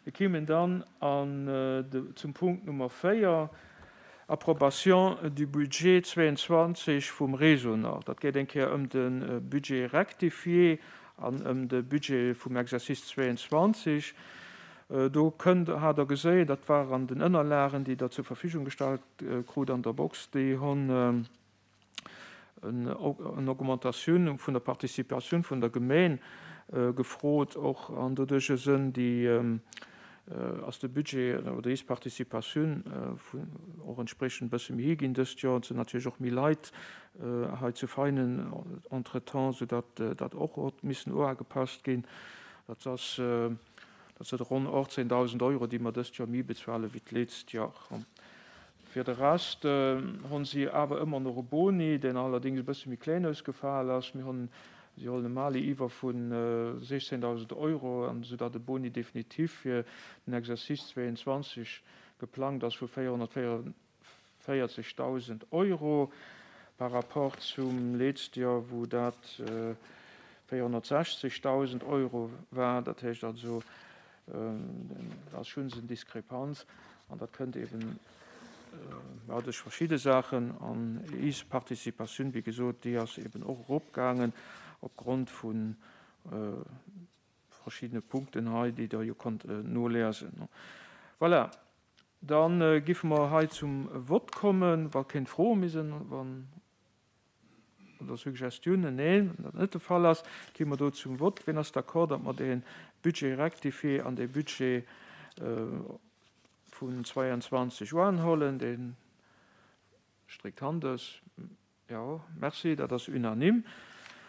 Mir kéimen dann an de, zum Punkt Nummer 4, Approbation du budget 22 vum Réseau Nord. Dat geet eng Kéier ëm de Budget rectifié an ëm de Budget vum Exercice 22. Do kënnt, hat Der geséien, dat war an den Ënnerlagen, déi Der zur Verfügung gestallt krut an der Box, déi hunn en Augmentatioun vun der Participatioun vun der Gemeen gefrot och, an doduercher sënn déi, ass de Budget oder is Participatioun vun och entspriechend e bësse méi hi ginn dëst Joer. Et sinn natierlech och méi Leit hei zu Veinen entretemps, soudatt dat och huet missen uagepasst ginn. Dat ass, dat sënn ronn 18.000 Euro, déi mer dëst Joer méi bezuele wéi d'leetzt Joer. Fir de Rest honn si awer ëmmer nach e Boni, deen allerdings e bësse méi kléin ausgefal ass. Mir honn, si hollen e Mali iwwer vu 16.000 Euro, an esou datt e Boni definitif fir den Exercice 22 geplangt ass vu 444.000 Euro par rapport zum letzte Joer, wou dat 460.000 Euro war. Dat heescht also, Dat ass schonns en Diskrepanz an dat kënnt eben duerch verschidde Saachen. An is Participatioun, wéi gesot, déi ass eben och eropgaangen opgrond vu verschiddene Punkten hei, déi Der jo konnt noliesen. Voilà, da giffe mer hei zum Vott kommen, wa kéint Froe méi sinn. Wann. Oder Suggestiounen? Neen, wann dat net de Fall ass, gi mer do zum Vott. Wien ass d'accord, datt mer dee Budget rectifié an dee Budget vun 22 uanhollen? Dee stréckt d'Hand aus. Jo, merci, dat ass unanime.